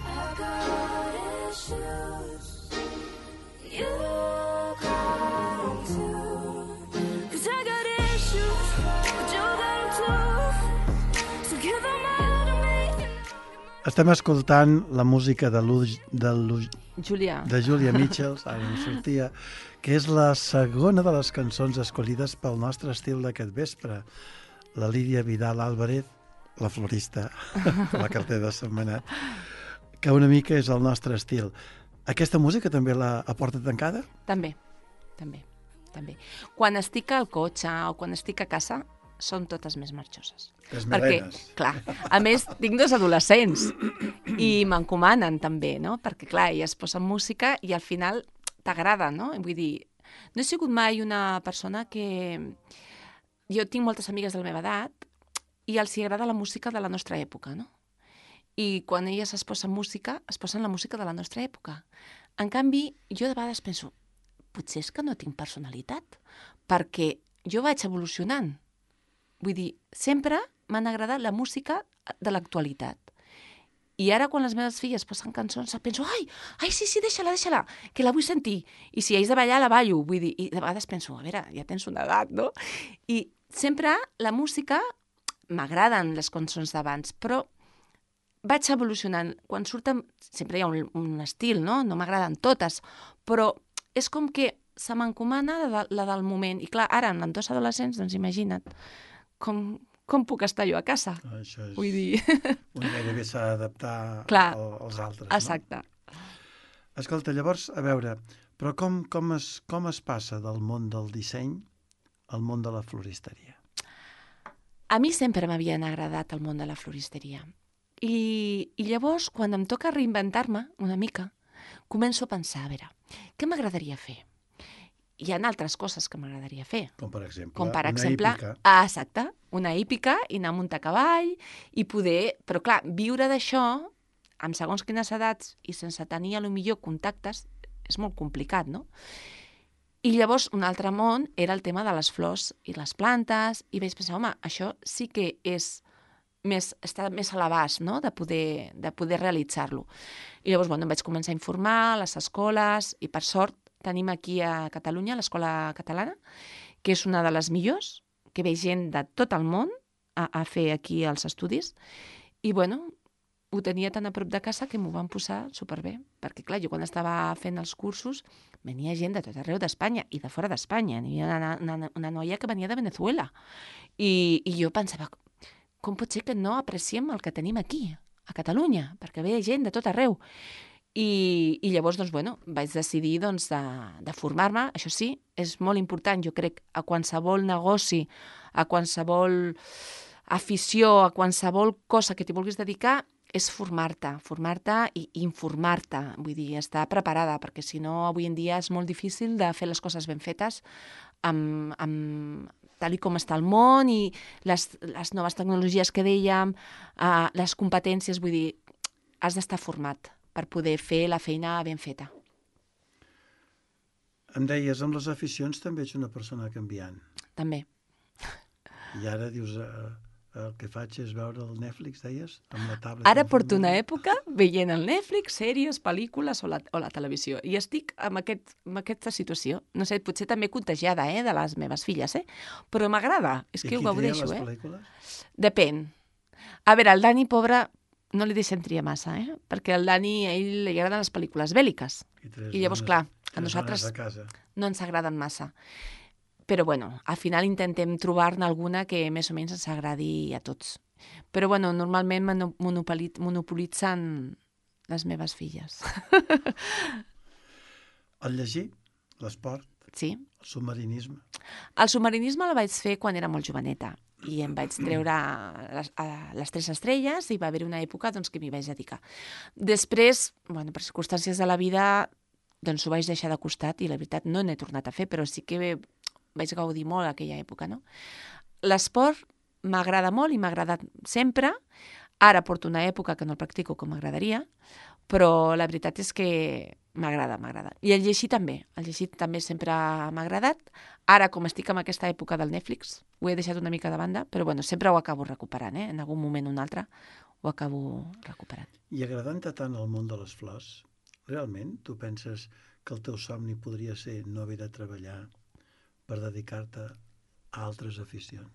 I got issues, you got them too. 'Cause I got issues, but you got them too. So give them all to me. Estem escoltant la música de, Lu, de, Lu, Julià, de Julia Mitchells, ara em sortia, que és la segona de les cançons escollides pel nostre estil d'aquest vespre. La Lídia Vidal Álvarez, la florista, la cartera de Setmanat, que una mica és el nostre estil. Aquesta música també la aporta tancada? també, també, també. Quan estic al cotxe o quan estic a casa, són totes més marxoses. Les Perquè, melenes. clar, a més, tinc dos adolescents i m'encomanen també, no? Perquè, clar, elles posen música i al final t'agrada, no? Vull dir, no he sigut mai una persona que... Jo tinc moltes amigues de la meva edat i els hi agrada la música de la nostra època, no? I quan elles es posen música, es posen la música de la nostra època. En canvi, jo de vegades penso, potser és que no tinc personalitat, perquè jo vaig evolucionant. Vull dir, sempre m'han agradat la música de l'actualitat. I ara, quan les meves filles posen cançons, penso, ai, ai, sí, sí, deixa-la, deixa-la, que la vull sentir. I si haig de ballar, la ballo. Vull dir, i de vegades penso, a veure, ja tens una edat, no? I sempre la música, m'agraden les cançons d'abans, però vaig evolucionant. Quan surten, sempre hi ha un, un estil, no? No m'agraden totes, però és com que se m'encomana la, la del moment. I clar, ara, amb dos adolescents, doncs imagina't, com, com puc estar jo a casa? Això és... Vull dir... Un gairebé s'ha d'adaptar Clar. al, als altres, Exacte. no? Escolta, llavors, a veure, però com, com, es, com es passa del món del disseny al món de la floristeria? A mi sempre m'havien agradat el món de la floristeria. I, i llavors, quan em toca reinventar-me una mica, començo a pensar, a veure, què m'agradaria fer? Hi ha altres coses que m'agradaria fer. Com per exemple, Com per una exemple, hípica. ah, exacte, una hípica i anar a muntar a cavall i poder... Però clar, viure d'això, amb segons quines edats i sense tenir a lo millor contactes, és molt complicat, no? I llavors un altre món era el tema de les flors i les plantes i vaig pensar, home, això sí que és més, està més a l'abast, no?, de poder, de poder realitzar-lo. I llavors, bueno, em vaig començar a informar a les escoles i per sort tenim aquí a Catalunya l'Escola Catalana, que és una de les millors, que ve gent de tot el món a, a fer aquí els estudis. I, bueno, ho tenia tan a prop de casa que m'ho van posar superbé. Perquè, clar, jo quan estava fent els cursos venia gent de tot arreu d'Espanya i de fora d'Espanya. Hi havia una, una, una noia que venia de Venezuela. I, I jo pensava, com pot ser que no apreciem el que tenim aquí, a Catalunya? Perquè ve gent de tot arreu. I, i llavors, doncs, bueno, vaig decidir doncs, de, de formar-me. Això sí, és molt important, jo crec, a qualsevol negoci, a qualsevol afició, a qualsevol cosa que t'hi vulguis dedicar, és formar-te, formar-te i informar-te, vull dir, estar preparada, perquè si no, avui en dia és molt difícil de fer les coses ben fetes amb, amb, tal i com està el món i les, les noves tecnologies que dèiem, uh, les competències, vull dir, has d'estar format per poder fer la feina ben feta. Em deies, amb les aficions també ets una persona canviant. També. I ara dius, eh, el que faig és veure el Netflix, deies? Amb la tablet. Ara porto una època veient el Netflix, sèries, pel·lícules o la, o la televisió. I estic amb, aquest, amb aquesta situació. No sé, potser també contagiada, eh, de les meves filles, eh? Però m'agrada. És que ho gaudeixo, eh? I qui tria les pel·lícules? Depèn. A veure, el Dani, pobre, no li deixem triar massa, eh? Perquè al Dani, a ell li agraden les pel·lícules bèl·liques. I, tres I llavors, dones- clar, a tres nosaltres dones a casa. no ens agraden massa. Però, bueno, al final intentem trobar-ne alguna que més o menys ens agradi a tots. Però, bueno, normalment mono- monopoli- monopolitzen les meves filles. El llegir, l'esport, Sí. el submarinisme. El submarinisme el vaig fer quan era molt joveneta i em vaig treure les, a les tres estrelles i va haver una època doncs, que m'hi vaig dedicar. Després, bueno, per circumstàncies de la vida, doncs ho vaig deixar de costat i la veritat no n'he tornat a fer, però sí que vaig gaudir molt aquella època, no? L'esport m'agrada molt i m'ha agradat sempre. Ara porto una època que no el practico com m'agradaria, però la veritat és que m'agrada, m'agrada. I el llegir també. El llegir també sempre m'ha agradat. Ara, com estic en aquesta època del Netflix, ho he deixat una mica de banda, però bueno, sempre ho acabo recuperant, eh? En algun moment o un altre ho acabo recuperant. I agradant-te tant el món de les flors, realment tu penses que el teu somni podria ser no haver de treballar per dedicar-te a altres aficions?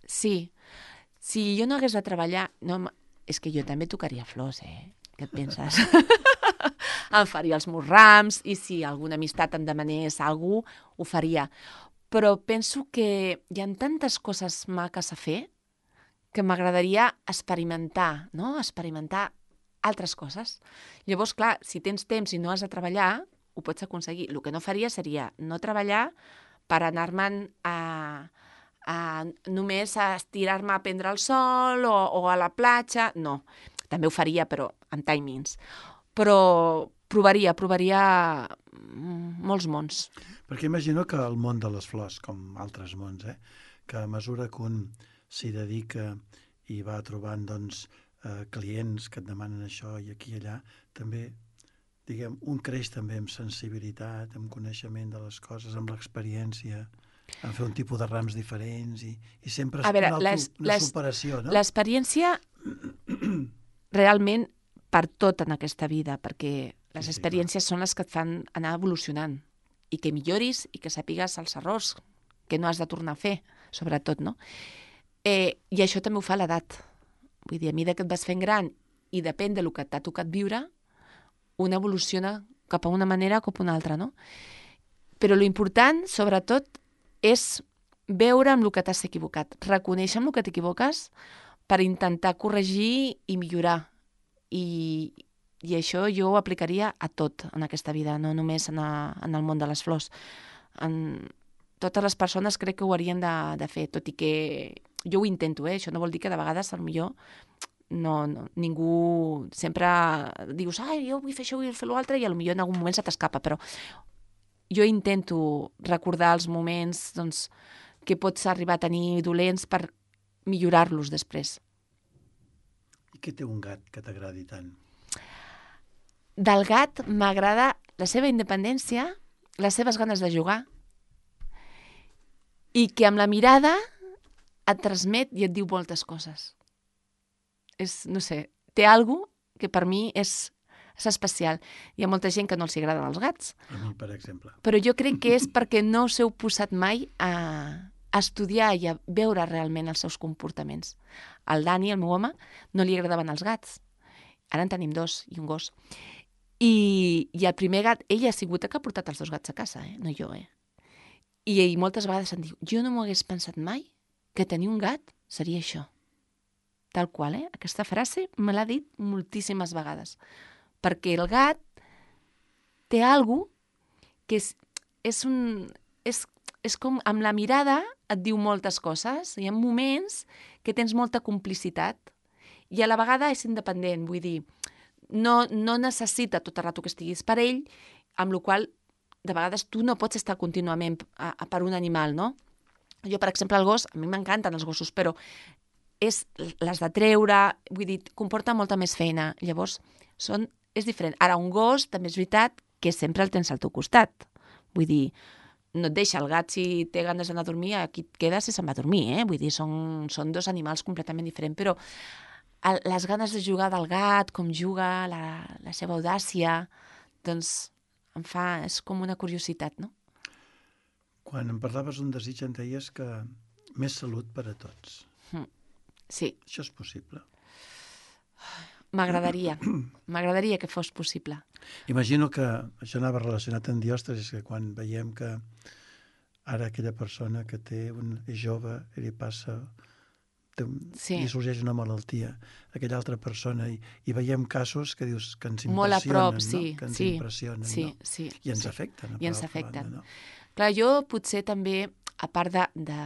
Sí. Si jo no hagués de treballar... No, és que jo també tocaria flors, eh? Què et penses? Em faria els meus rams i si alguna amistat em demanés alguna cosa, ho faria. Però penso que hi ha tantes coses maques a fer que m'agradaria experimentar, no? Experimentar altres coses. Llavors, clar, si tens temps i no has de treballar, ho pots aconseguir. El que no faria seria no treballar per anar-me'n a, a només a estirar-me a prendre el sol o, o a la platja. No, també ho faria, però amb timings. Però provaria, provaria molts mons. Perquè imagino que el món de les flors, com altres mons, eh, que a mesura que un s'hi dedica i va trobant doncs, eh, clients que et demanen això i aquí i allà, també, diguem, un creix també amb sensibilitat, amb coneixement de les coses, amb l'experiència, en fer un tipus de rams diferents i, i sempre és A veure, una, auto, les- una les- superació, no? L'experiència realment per tot en aquesta vida, perquè les Sí, sí, experiències són les que et fan anar evolucionant i que milloris i que sàpigues els errors que no has de tornar a fer, sobretot, no? Eh, I això també ho fa l'edat. Vull dir, a mesura que et vas fent gran i depèn del que t'ha tocat viure, una evoluciona cap a una manera o cap a una altra, no? Però l'important, sobretot, és veure amb el que t'has equivocat, reconèixer amb el que t'equivoques per intentar corregir i millorar. I, i això jo ho aplicaria a tot en aquesta vida, no només en, a, en el món de les flors. En, totes les persones crec que ho haurien de, de fer, tot i que jo ho intento, eh? Això no vol dir que de vegades potser no, no, ningú sempre dius, ai, jo vull fer això, vull fer l'altre, i potser en algun moment se t'escapa, però jo intento recordar els moments doncs, que pots arribar a tenir dolents per millorar-los després. I què té un gat que t'agradi tant? Del gat m'agrada la seva independència, les seves ganes de jugar i que amb la mirada et transmet i et diu moltes coses. És, no sé, té alguna cosa que per mi és, és especial. Hi ha molta gent que no els agraden els gats, A mi, per exemple. però jo crec que és perquè no us heu posat mai a, a estudiar i a veure realment els seus comportaments. Al Dani, el meu home, no li agradaven els gats. Ara en tenim dos i un gos. I, i el primer gat, ella ha sigut el que ha portat els dos gats a casa, eh? No jo, eh? I, i moltes vegades em diu, jo no m'ho hagués pensat mai que tenir un gat seria això. Tal qual, eh? Aquesta frase me l'ha dit moltíssimes vegades. Perquè el gat té alguna cosa que és, és, un, és, és com amb la mirada et diu moltes coses. Hi ha moments que tens molta complicitat i a la vegada és independent, vull dir, no, no necessita tot el rato que estiguis per ell, amb la qual cosa de vegades tu no pots estar contínuament a, a per un animal, no? Jo, per exemple, el gos, a mi m'encanten els gossos, però és les de treure, vull dir, comporta molta més feina. Llavors, són, és diferent. Ara, un gos, també és veritat que sempre el tens al teu costat. Vull dir, no et deixa el gat si té ganes d'anar a dormir, aquí et quedes i se'n va a dormir, eh? Vull dir, són, són dos animals completament diferents, però el, les ganes de jugar del gat, com juga, la, la seva audàcia, doncs em fa, és com una curiositat, no? Quan em parlaves d'un desig em deies que més salut per a tots. Sí, Això és possible? m'agradaria, m'agradaria que fos possible. Imagino que això anava relacionat amb diòstasis, que quan veiem que ara aquella persona que té un, és jove i li passa té un, Sí. li sorgeix una malaltia a aquella altra persona i, i veiem casos que dius que ens Molt a impressionen, prop, sí, no? Que ens sí, impressionen, sí, no? sí, I ens sí. afecten. I ens per altra afecten. banda, no? Clar, jo potser també, a part de, de,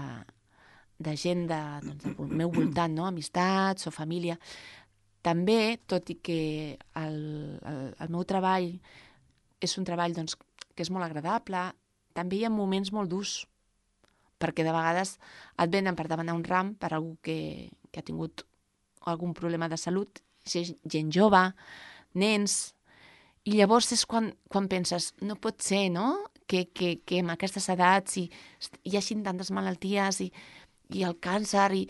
de gent de, doncs, del meu voltant, no? Amistats o família, també, tot i que el, el, el meu treball és un treball doncs, que és molt agradable, també hi ha moments molt durs, perquè de vegades et venen per demanar un ram per algú que, que ha tingut algun problema de salut, gent jove, nens, i llavors és quan, quan penses, no pot ser, no?, que, que, que amb aquestes edats hi, hi hagi tantes malalties i, i el càncer, i,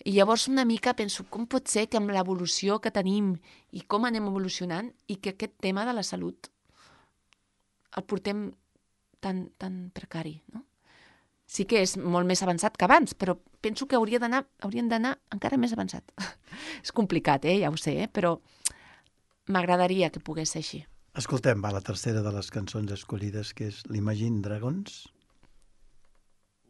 i llavors una mica penso, com pot ser que amb l'evolució que tenim i com anem evolucionant i que aquest tema de la salut el portem tan, tan precari, no? Sí que és molt més avançat que abans, però penso que hauria d'anar, haurien d'anar encara més avançat. És complicat, eh? Ja ho sé, eh? Però m'agradaria que pogués ser així. Escoltem, va, la tercera de les cançons escollides, que és l'Imagine Dragons.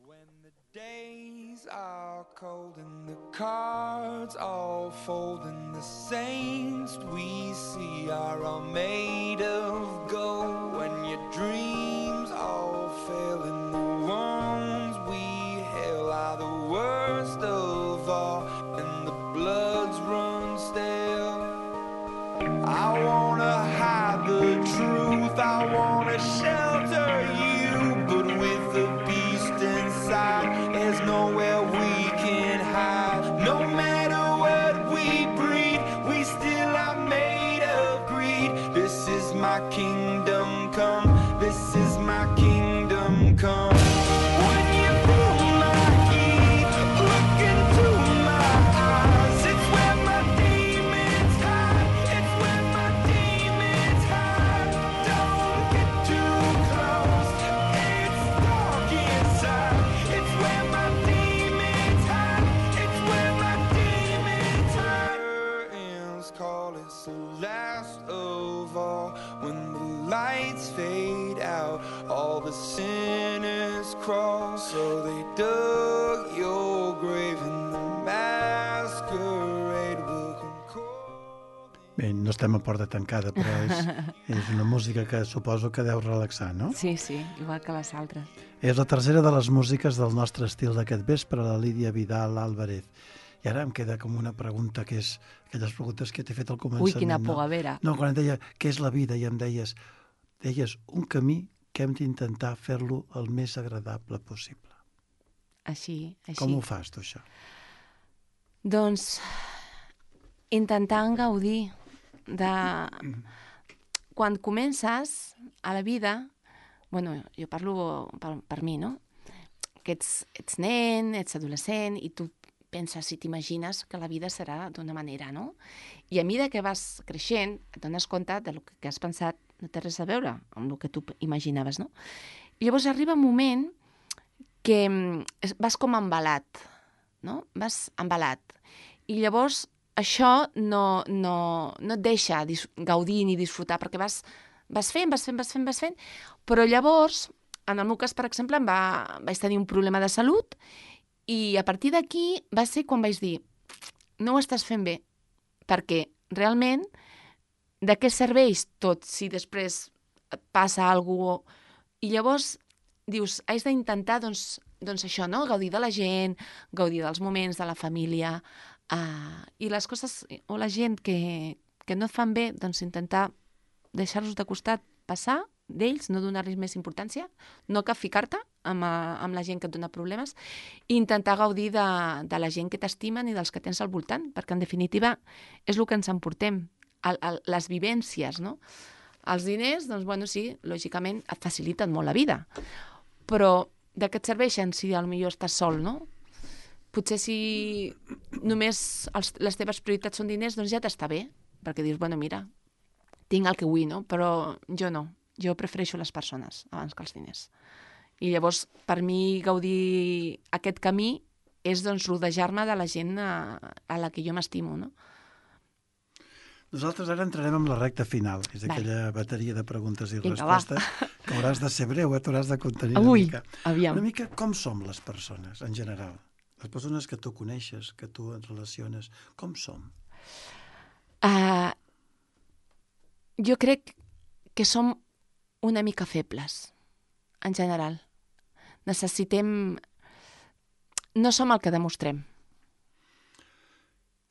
When the days are cold and the cards all fold and the saints we see are all made of gold, when your dreams all fail and the ones we hail are the worst of all and the bloods run stale, I wanna hide the truth, I wanna shelter you, but with the beast inside, there's nowhere we can hide. No matter what we breed, we still are made of greed. This is my kingdom come, this is my kingdom come. When you feel my heat, look into my eyes, it's where my demons hide, it's where my demons hide. Don't get too close, it's dark inside, it's where my demons hide, it's where my demons hide. Curtains call, it's the last of all. When the lights fade out, all the sinners crawl, so they dug your grave and the masquerade will come cold. Bé, no estem a porta tancada, però és, és una música que suposo que deu relaxar, no? Sí, sí, igual que les altres. És la tercera de les músiques del nostre estil d'aquest vespre, la Lídia Vidal Álvarez. I ara em queda com una pregunta, que és aquelles preguntes que t'he fet al començament. Ui, quina no? pogavera. No, quan em deia què és la vida i em deies, deies un camí que hem d'intentar fer-lo el més agradable possible. Així, així. Com ho fas, tu, això? Doncs intentant gaudir de... Quan comences a la vida, bueno, jo parlo per, per mi, no? Que ets, ets nen, ets adolescent, i tu penses i t'imagines que la vida serà d'una manera, no? I a mesura que vas creixent, et dones compte de lo que has pensat no té res a veure amb el que tu imaginaves, no? I llavors arriba un moment que vas com embalat, no? Vas embalat. I llavors això no, no, no et deixa gaudir ni disfrutar, perquè vas, vas fent, vas fent, vas fent, vas fent, però llavors, en el meu cas, per exemple, em va, vaig tenir un problema de salut i a partir d'aquí va ser quan vaig dir no ho estàs fent bé, perquè realment de què serveix tot si després et passa alguna cosa? I llavors dius, haig d'intentar doncs, doncs això, no? Gaudir de la gent, gaudir dels moments, de la família, uh, i les coses o la gent que, que no et fan bé, doncs intentar deixar-los de costat, passar d'ells, no donar-los més importància, no cal ficar-te amb, amb la gent que et dona problemes, i intentar gaudir de, de la gent que t'estimen i dels que tens al voltant, perquè en definitiva és el que ens emportem, el, el, les vivències, no? Els diners, doncs, bueno, sí, lògicament et faciliten molt la vida, però de què et serveixen si potser estàs sol, no? Potser si només els, les teves prioritats són diners, doncs ja t'està bé, perquè dius, bueno, mira, tinc el que vull, no? Però jo no, jo prefereixo les persones abans que els diners. I llavors, per mi, gaudir aquest camí és, doncs, rodejar-me de la gent a, a la que jo m'estimo, no? Nosaltres ara entrarem en la recta final, és Vale. aquella bateria de preguntes i Vinga, respostes, que hauràs de ser breu, eh? T'hauràs de contenir Ui, una mica. aviam. Una mica com som les persones, en general. Les persones que tu coneixes, que tu et relaciones, com som? Uh, jo crec que som una mica febles, en general. Necessitem... No som el que demostrem.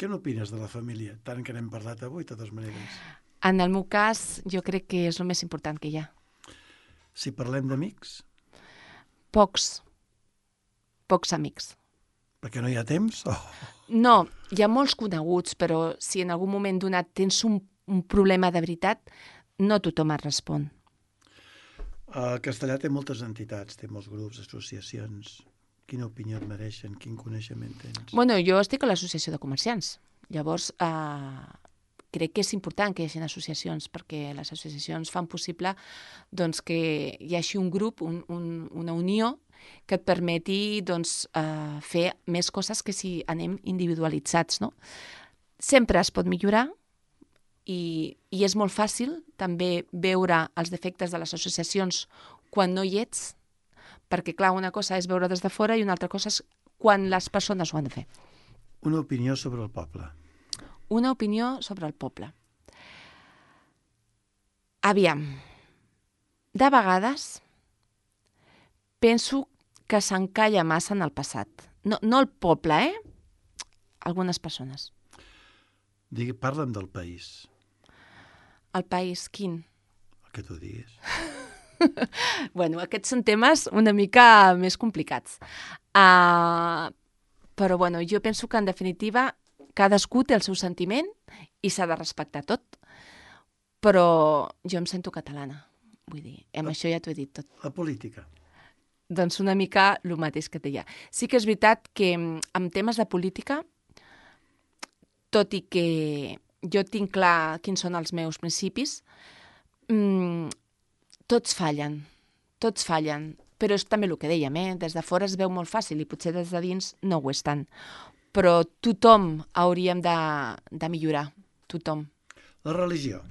Què n'opines de la família? Tant que n'hem parlat avui, de totes maneres. En el meu cas, jo crec que és el més important que hi ha. Si parlem d'amics, Pocs. Pocs amics. perquè no hi ha temps? Oh. No, hi ha molts coneguts, però si en algun moment donat tens un, un problema de veritat, no tothom et respon. El Castellà té moltes entitats, té molts grups, associacions. Quina opinió et mereixen? Quin coneixement tens? Bueno, jo estic a l'Associació de Comerciants. Llavors, eh, crec que és important que hi hagi associacions, perquè les associacions fan possible doncs, que hi hagi un grup, un, un, una unió, que et permeti doncs, eh, fer més coses que si anem individualitzats. No? Sempre es pot millorar i, i és molt fàcil també veure els defectes de les associacions quan no hi ets, perquè, clar, una cosa és veure des de fora i una altra cosa és quan les persones ho han de fer. Una opinió sobre el poble. Una opinió sobre el poble. Aviam, de vegades penso que s'encalla massa en el passat. No, no el poble, eh? Algunes persones. Digui, parla'm del país, El país, quin? el que tu diguis. Bueno, aquests són temes una mica més complicats. Uh, però, bueno, jo penso que, en definitiva, cadascú té el seu sentiment i s'ha de respectar tot. Però jo em sento catalana. Vull dir, amb La- això ja t'ho he dit tot. La política. Doncs una mica el mateix que deia. Sí que és veritat que mm, en temes de política, tot i que jo tinc clar quins són els meus principis, mmm, tots fallen, tots fallen. Però és també el que dèiem, eh? Des de fora es veu molt fàcil i potser des de dins no ho és tant. Però tothom hauríem de, de millorar, tothom. La religió.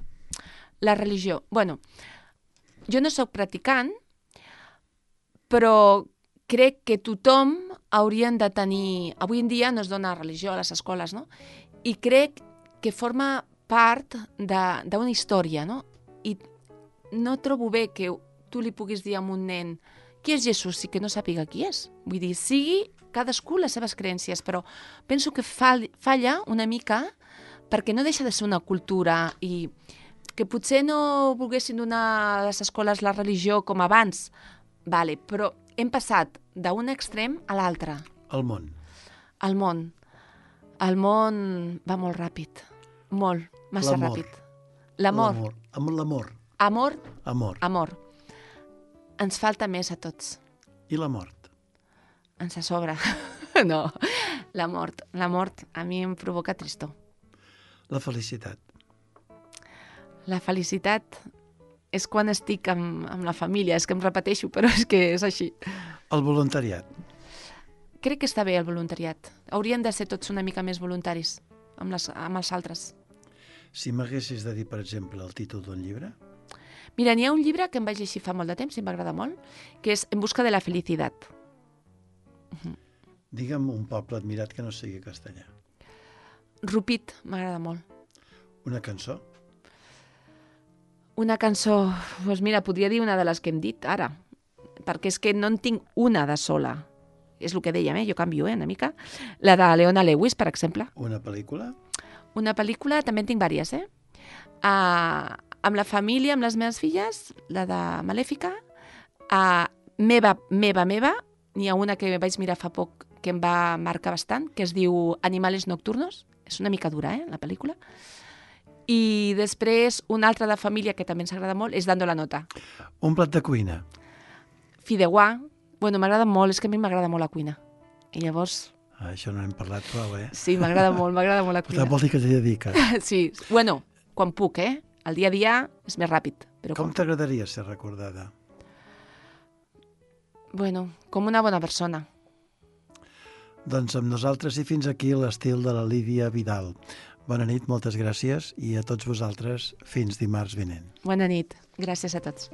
La religió. Bueno, jo no sóc practicant, però crec que tothom haurien de tenir... Avui en dia no es dona religió a les escoles, no? I crec que forma part de- d'una història, no? I no trobo bé que tu li puguis dir a un nen qui és Jesús i que no sàpiga qui és. Vull dir, sigui cadascú les seves creences, però penso que fall, falla una mica perquè no deixa de ser una cultura i que potser no volguessin donar a les escoles la religió com abans, vale, però hem passat d'un extrem a l'altre. El món. El món. El món va molt ràpid. Molt, massa L'amor. ràpid. L'amor. L'amor. Amb l'amor. Amor, Amor. amor. Ens falta més a tots. I la mort. Ens a sobre. No, la mort. La mort a mi em provoca tristor. La felicitat. La felicitat és quan estic amb, amb la família. És que em repeteixo, però és que és així. El voluntariat. Crec que està bé el voluntariat. Haurien de ser tots una mica més voluntaris amb, les, amb els altres. Si m'haguessis de dir, per exemple, el títol d'un llibre, Mira, n'hi ha un llibre que em vaig llegir fa molt de temps i m'agrada molt, que és En busca de la felicitat. digue'm un poble admirat que no sigui castellà. Rupit, m'agrada molt. Una cançó? Una cançó, doncs mira, podria dir una de les que hem dit ara, perquè és que no en tinc una de sola. És el que dèiem, eh? Jo canvio, eh, una mica. La de Leona Lewis, per exemple. Una pel·lícula? Una pel·lícula, també en tinc vàries, eh? Uh, amb la família, amb les meves filles, la de Malèfica. Uh, meva, meva, meva, n'hi ha una que vaig mirar fa poc que em va marcar bastant, que es diu Animales Nocturnos. És una mica dura, eh, la pel·lícula. I després, una altra de família que també ens agrada molt és Dando la nota. Un plat de cuina? Fideuà. Bueno, m'agrada molt, és que a mi m'agrada molt la cuina. I llavors, Ah, això no hem parlat prou, eh? sí, m'agrada molt, m'agrada molt la Per cuina. tant, vol dir que t'hi dediques. Sí, bueno, quan puc, eh? El dia a dia és més ràpid. Però Com quan... t'agradaria ser recordada? Bueno, com una bona persona. Doncs amb nosaltres i fins aquí l'estil de la Lídia Vidal. Bona nit, moltes gràcies i a tots vosaltres fins dimarts vinent. Bona nit. Gràcies a tots.